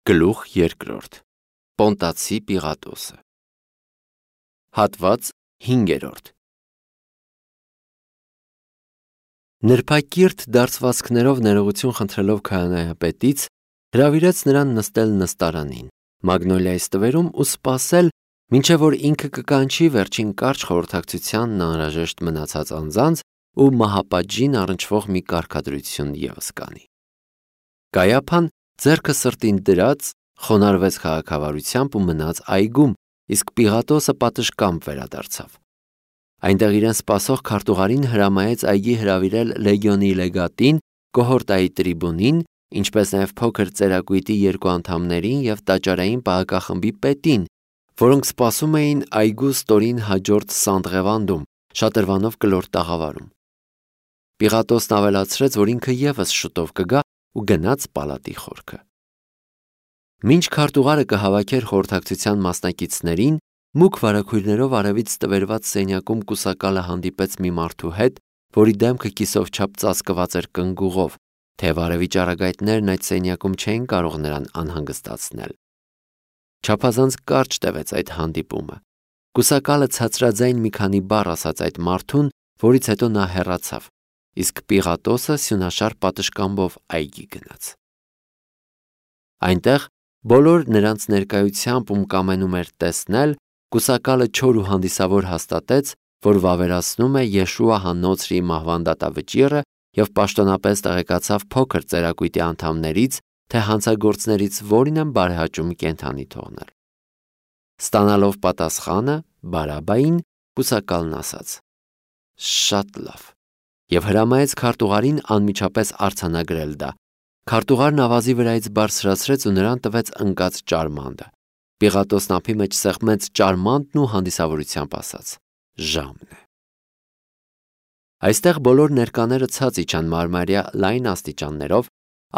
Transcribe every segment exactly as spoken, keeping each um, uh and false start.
Գլուխ երկրորդ. Պոնտացի Պիղատոսը։ Հատված հինգերորդ. Նրբակիրթ դարձվածքներով ներողություն խնդրելով քահանայապետից, հրավիրեց նրան նստել նստարանին, Մագնոլիայի ստվերում ու սպասել, մինչև որ ինքը կկանչի վերջին կարճ խորհրդակցությանն անհրաժեշտ մնացած անձանց ու մահապատժին առնչվող մի կարգադրություն ևս կանի։ Կայափան ձեռքը սրտին դրած, խոնարհվեց քաղաքավարությամբ ու մնաց այգում, իսկ Պիղատոսը պատշգամբ վերադարձավ։ Այնտեղ իրեն սպասող քարտուղարին հրամայեց այգի հրավիրել լեգիոնի լեգատին, կոհորտայի տրիբունին, ինչպես նաև փոքր ծերակույտի երկու անդամներին և տաճարային պահակախմբի պետին, որոնք սպասում էին այգու ստորին հաջորդ Սանտղևանդում, շատրվանով կլոր տաղավարում։ Պիղատոսն ավելացրեց, որ ինքը ևս շուտով կգա ու գնաց պալատի խորքը։ Մինչ քարտուղարը կհավաքեր խորհրդակցության մասնակիցներին, մուգ վարագույրներով արևից տվերված սենյակում կուսակալը հանդիպեց մի մարդու հետ, որի դեմքը կիսով չափ ծածկված էր կնգուղով, թեև արևի ճառագայթներն այդ սենյակում չէին կարող նրան անհանգստացնել։ Չափազանց կարճ տևեց այդ հանդիպումը։ Կուսակալը ցածրաձայն մի քանի բառ ասաց այդ մարդուն, որից հետո նա հեռացավ, իսկ Պիղատոսը սյունաշար պատշգամբով այգի գնաց։ Այնտեղ բոլոր նրանց ներկայությամբ, ում կամենում էր տեսնել, կուսակալը չոր ու հանդիսավոր հաստատեց, որ վավերացնում է Եշուա հաննոցրի մահվան դատավճիռը և պաշտոնապես տեղեկացավ փոքր ծերակույտի անդամներից, թե հանցագործներից որին են բարեհաճում կենդանի թողնել։ Ստանալով պատասխանը Բարաբային, կուսակալն ասաց. «Շատ լավ» և հրամայեց քարտուղարին անմիջապես արձանագրել դա։ Քարտուղարն ավազի վրայից բարձրացրեց ու նրան տվեց ընկած ճարմանդը։ Պիղատոսն ափի մեջ սեղմեց ճարմանդն ու հանդիսավորությամբ ասաց. «Ժամն է»։ Այստեղ բոլոր ներկաները ցած իջան մարմարյա լայն աստիճաններով,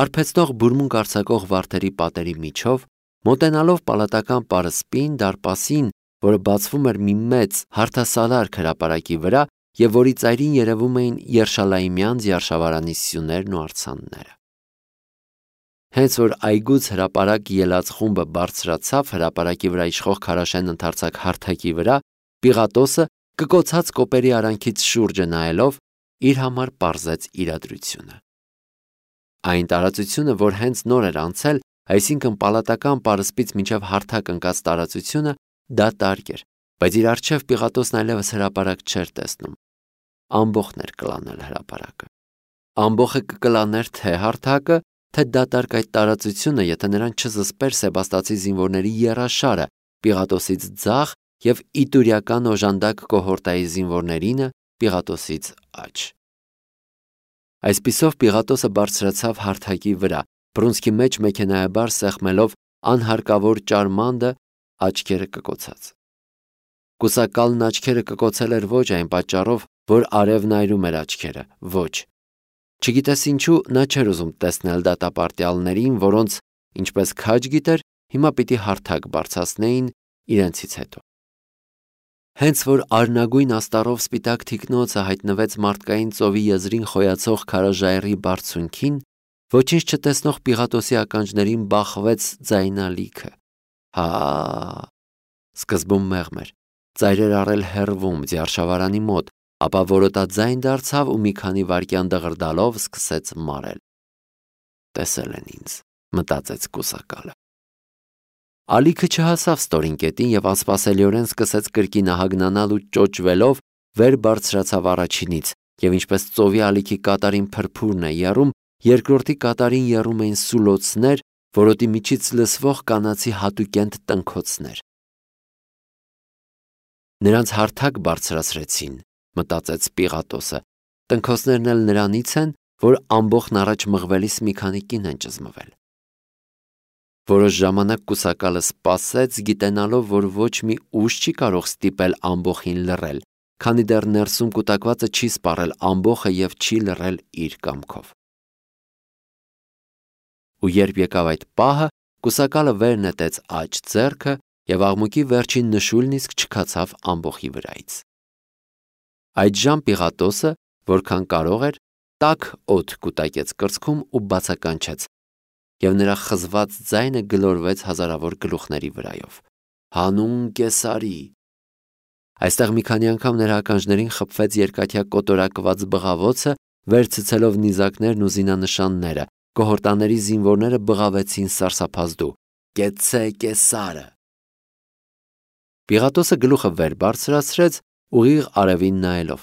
արբեցնող բուրմունք արձակող վարդերի պատերի միջով, մոտենալով պալատական պարսպին, դարպասին, որը բացվում էր մի մեծ հարթասալարք հրապարակի վրա և որի ծայրին երևում էին Երշալայիմյան ձիարշավարանի սյուներն ու արձանները։ Հենց որ այգուց հրապարակ ելած խումբը բարձրացավ հրապարակի վրա իշխող քարաշեն ընդարձակ հարթակի վրա, Պիղատոսը կկոցած կոպերի արանքից շուրջը նայելով իր համար պարզեց իրադրությունը։ Այն տարածությունը, որ հենց նոր էր անցել, այսինքն պալատական պարսպից մինչև հարթակ ընկած տարածությունը, դատարկ էր, բայց իր առջև Պիղատոսն այլևս հրապարակ չէր տեսնում։ Ամբոխն էր կլանել հրապարակը։ Ամբոխը կկլաներ թե հարթակը, թե դատարկ այդ տարածությունը, եթե նրան չզսպեր սեբաստացի զինվորների եռաշարը, Պիղատոսից ձախ և իտուրիական օժանդակ կոհորտայի զինվորներինը Պիղատոսից աջ։ Այսպիսով Պիղատոսը բարձրացավ հարթակի վրա, բռունցքի մեջ մեքենայաբար սեղմելով անհարկավոր ճարմանդը, աչքերը կկոցած։ Կուսակալն աչքերը կկոցել էր ոչ այն պատճառով, որ արևն այրում էր աչքերը, ոչ։ Չգիտես ինչու նա չէր ուզում տեսնել դատապարտյալներին, որոնց, ինչպես քաջ գիտեր, հիմա պիտի հարթակ բարձրացնեին իրենցից հետո։ Հենց որ արնագույն աստառով սպիտակ թիկնոցը հայտնվեց մարդկային ծովի եզրին խոյացող քարաժայռի բարձունքին, ոչինչ չտեսնող Պիղատոսի ականջներին բախվեց ձայնալիքը. «Հա»։ Սկզբում մեղմ էր, ծայրեր առել հեռվում, ձիարշավարանի մոտ, ապա որոտաձայն դարձավ ու մի քանի վայրկյան դղրդալով սկսեց մարել։ «Տեսել են ինձ», մտածեց կուսակալը։ Ալիքը չհասավ ստորին կետին և անսպասելիորեն սկսեց կրկինահագնանալ ու ճոճվելով վեր բարձրացավ առաջինից, և ինչպես ծովի ալիքի կատարին փրփուրն է եռում, երկրորդի կատարին եռում էին սուլոցներ, որոտի միջից լսվող կանացի հատուկենտ տնքոցներ։ Նրանց հարթակ բարձրացրեցին, մտածեց Պիղատոսը, տնքոցներն էլ նրանից են, որ ամբոխն առաջ մղվելիս մի քանի կին են ճզմվել։ Որոշ ժամանակ կուսակալը սպասեց, գիտենալով, որ ոչ մի ուժ չի կարող ստիպել ամբոխին լռել, քանի դեռ ներսում կուտակվածը չի սպառել ամբոխը և չի լռել իր կամքով։ Ու երբ եկավ այդ պահը, կուսակալը վեր նետեց աջ ձեռքը և աղմուկի վերջին նշույլն իսկ չքացավ ամբոխի վրայից։ Այդժամ Պիղատոսը, որքան կարող էր, տաք օդ կուտակեց կրծքում ու բացականչեց. և նրա խզված ձայնը գլորվեց հազարավոր գլուխների վրայով։ Հանուն Կեսարի։ Այստեղ մի քանի անգամ նրա ականջներին խփվեց երկաթյա կոտորակված բղավոցը, վեր ցցելով նիզակներն ու զինանշանները, կոհորտաների զինվորները բղավեցին սարսափազդու. Կեցե Կեսարը։ Պիղատոսը գլուխը վեր բարձրացրեց, ուղիղ արևին նայելով։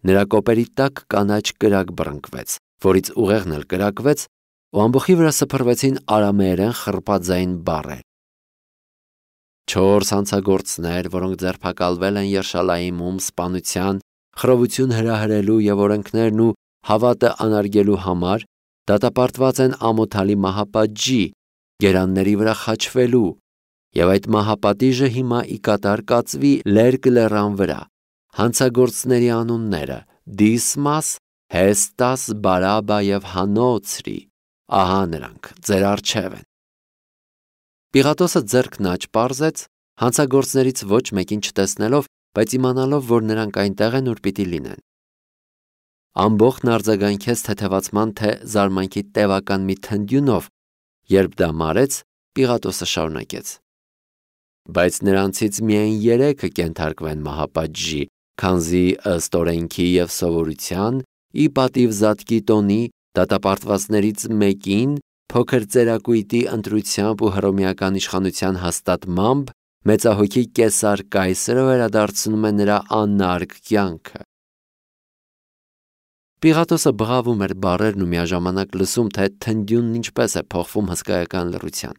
Նրա կոպերի տակ կանաչ կրակ բռնկվեց, որից ուղեղն էլ կրակվեց, ու ամբոխի վրա սփռվեցին արամեերեն խռպածային բառեր։ Չորս հանցագործներ, որոնք ձերբակալվել են Երշալայիմում սպանության, խռովություն հրահրելու և օրենքներն ու հավատը անարգելու համար, դատապարտված են ամոթալի մահապատժի, գերանների վրա խաչվելու, և այդ մահապատիժը հիմա ի կատար կացվի Լերկ լեռան վրա։ Հանցագործների անունները՝ Դիսմաս, Հեստաս, Բարաբա և Հանոցրի։ Ահա նրանք ձեր առջև են։ Պիղատոսը ձեռքն աջ պարզեց, հանցագործներից ոչ մեկին չտեսնելով, բայց իմանալով, որ նրանք այնտեղ են, ուր պիտի լինեն։ Ամբողջն արձագանքեց թեթևացման թե զարմանքի տևական մի թնդյունով, երբ դա մարեց, Պիղատոսը շարունակեց. Բայց նրանցից միայն երեքը կենթարկվեն մահապատժի, քանզի ըստ օրենքի և սովորության, ի պատիվ զատկի տոնի, դատապարտվածներից մեկին փոքր ծերակույտի ընտրությամբ ու հռոմեական իշխանության հաստատմամբ մեծահոգի Կեսար կայսրը վերադարձնում է նրա անարգ կյանքը։ Պիղատոսը բղավում էր բառերն ու միաժամանակ լսում, թե թնդյունն ինչպես է փոխվում հսկայական լռության։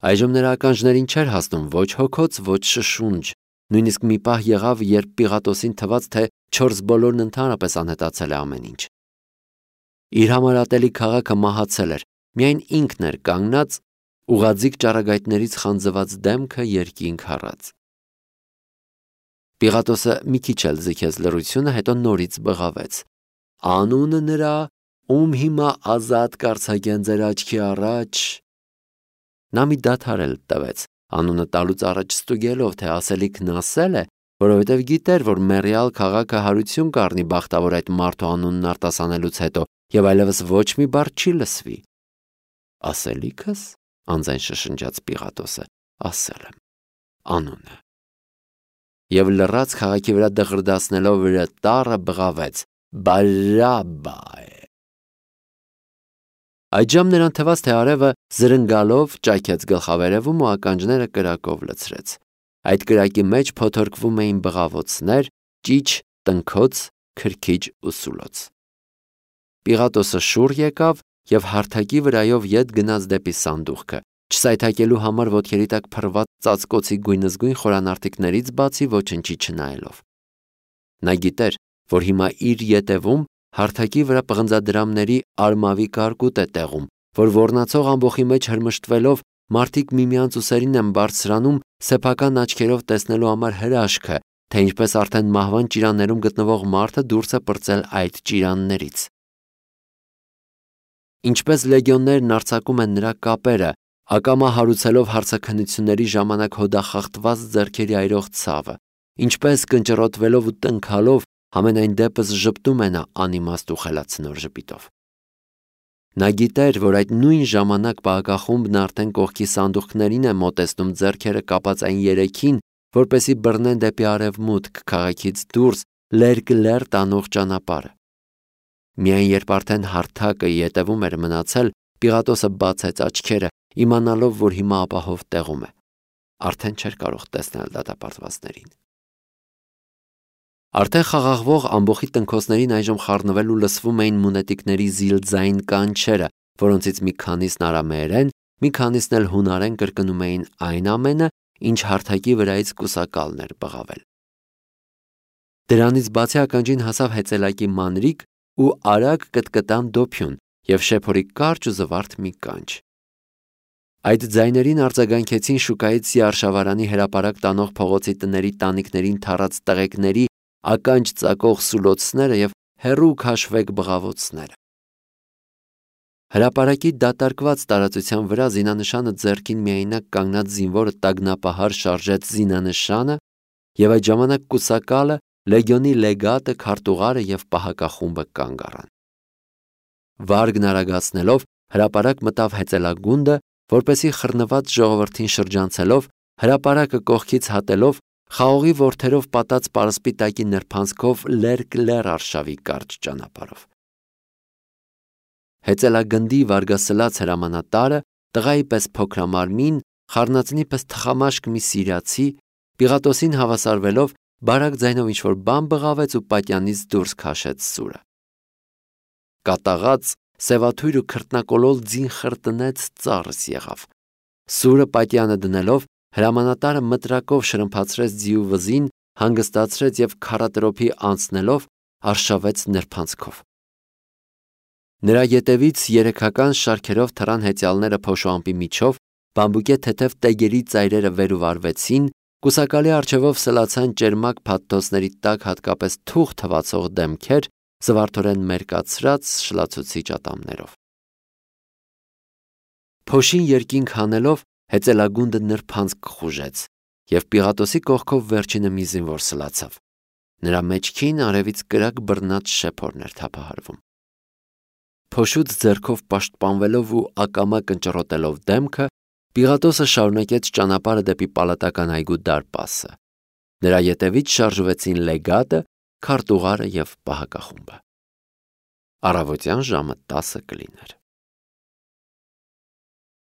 Այժմ նրա ականջներին չէր հասնում ոչ հոգոց, ոչ շշունջ, նույնիսկ մի պահ եղավ, երբ Պիղատոսին թվաց, թե չորս բոլորն ընդհանրապես անհետացել է ամեն ինչ։ Իր համար ատելի քաղաքը մահացել էր, միայն ինքն էր կանգնած, ուղղաձիգ ճառագայթներից խանձված դեմքը երկինք հառած։ Պիղատոսը մի քիչ էլ ձգեց լռությունը, հետո նորից բղավեց. Անունը նրա, ում հիմա ազատ կարձակեն ձեր աչքի առաջ։ Նա մի դադար էլ տվեց, անունը տալուց առաջ ստուգելով, թե ասելիքն ասել է, որովհետև գիտեր, որ մեռյալ քաղաքը հարություն կառնի բախտավոր այդ մարդու անունն արտասանելուց հետո, և այլևս ոչ մի բառ չի լսվի։ Ասելիքս, անձայն շշնջաց Պիղատոսը, ասել եմ, անունը։ Եվ լռած քաղաքի վրա դղրդացնելով վրա տառը բղավեց. Բարաբա է։ Այդժամ նրան թվաց, թե արևը զրնգալով ճայքեց գլխավերևում ու ականջները կրակով լցրեց։ Այդ կրակի մեջ փոթորկվում էին բղավոցներ, ճիչ, տնքոց, քրքիջ ու սուլոց։ Պիղատոսը շուռ եկավ և հարթակի վրայով ետ գնաց դեպի սանդուղքը, չսայթաքելու համար ոտքերի տակ փռված ծածկոցի գույնզգույն խորանարդիկներից բացի ոչնչի չնայելով։ Նա գիտեր, որ հիմա իր ետևում հարթակի վրա պղնձադրամների արմավի կարկուտ է տեղում, որ ոռնացող ամբոխի մեջ հրմշտվելով մարդիկ միմյանց ուսերին են բարձրանում սեփական աչքերով տեսնելու համար հրաշքը, թե ինչպես արդեն մահվան ճիրաններում գտնվող մարդը դուրս է պրծել այդ ճիրաններից։ Ինչպես լեգիոններն արձակում են նրա կապերը, ակամա հարուցելով հարցաքննությունների ժամանակ հոդախախտված ձեռքերի այրող ցավը, ինչպես կնճռոտվելով ու տնքալով համենայն դեպս ժպտում է նա անիմաստ ու խելացնոր ժպիտով։ Նա գիտեր, որ այդ նույն ժամանակ պահակախումբն արդեն կողքի սանդուղքներին է մոտեցնում ձեռքերը կապած այն երեքին, որպեսզի բռնեն դեպի արևմուտք քաղաքից դուրս Լերկ լեռ տանող ճանապարհը։ Միայն երբ արդեն հարթակը ետևում էր մնացել, Պիղատոսը բացեց աչքերը, իմանալով, որ հիմա ապահով տեղում է։ Արդեն չէր կարող տեսնել դատապարտվածներին։ Արդեն խաղաղվող ամբոխի տնքոցներին այժմ խառնվել ու լսվում էին մունետիկների զիլձային կանչերը, որոնցից մի քանիսն արամեերեն, մի քանիսն էլ հունարեն կրկնում էին այն ամենը, ինչ հարթակի վրայից կուսակալն էր բղավել։ Դրանից բացի ականջին հասավ հեծելակի մանրիկ ու արագ կտկտան դոփյուն և շեփորի կարճ ու զվարթ մի կանչ։ Այդ ձայներին արձագանքեցին շուկայից Սիարշավարանի հրապարակ տանող փողոցի տների տանիքներին թառած տղեկների ականջ ծակող սուլոցները և հեռու քաշվեկ բղավոցները։ Հրապարակի դատարկված տարածության վրա զինանշանը ձեռքին միայնակ կանգնած զինվորը տագնապահար շարժեց զինանշանը, և այդ ժամանակ կուսակալը, լեգիոնի լեգատը, քարտուղարը և պահակախումբը կանգ առան։ վարգն արագացնելով հրապարակ մտավ հեծելագունդը, որպեսի խռնված ժողովրդին շրջանցելով, հրապարակը կողքից հատելով, խաղողի որդերով պատած պարսպիտակի նրբանցքով լերկ-լեռ արշավի կարճ ճանապարհով։ Հեծելագնդի վարգասլաց հրամանատարը, տղայի պես փոքրամարմին, խառնածնի պես թխամաշկ մի սիրիացի, Պիղատոսին հավասարվելով, բարակ ձայնով ինչ-որ բան բղավեց ու պատյանից դուրս քաշեց սուրը։ Կատաղած, սևաթույր ու քրտնակոլոլ ձին խրտնեց, ծառս եղավ։ Սուրը պատյանը դնելով, հրամանատարը մտրակով շրմփացրեց ձիու վզին, հանգստացրեց և քառատրոփի անցնելով արշավեց նրբանցքով։ Նրա ետևից երեքական շարքերով թռան հեծյալները փոշուամպի միջով, բամբուկե թեթև տեգերի ծայրերը վեր ու վարվեցին, կուսակալի առջևով սլացան ճերմակ փաթթոցների տակ հատկապես թուղ թվացող դեմքեր, զվարթորեն մերկացրած շլացուցիչ ատամներով։ Փոշին երկինք հանելով, հեծելագունդը նրբանցք խուժեց, և Պիղատոսի կողքով վերջինը մի զինվոր սլացավ։ Նրա մեջքին արևից կրակ բռնած շեփորն էր թափահարվում։ Փոշուց ձեռքով պաշտպանվելով ու ակամա կնճռոտելով դեմքը, Պիղատոսը շարունակեց ճանապարհը դեպի պալատական այգու դարպասը։ Նրա ետևից շարժվեցին լեգատը, քարտուղարը և պահակախումբը։ Առավոտյան ժամը տասը կլիներ։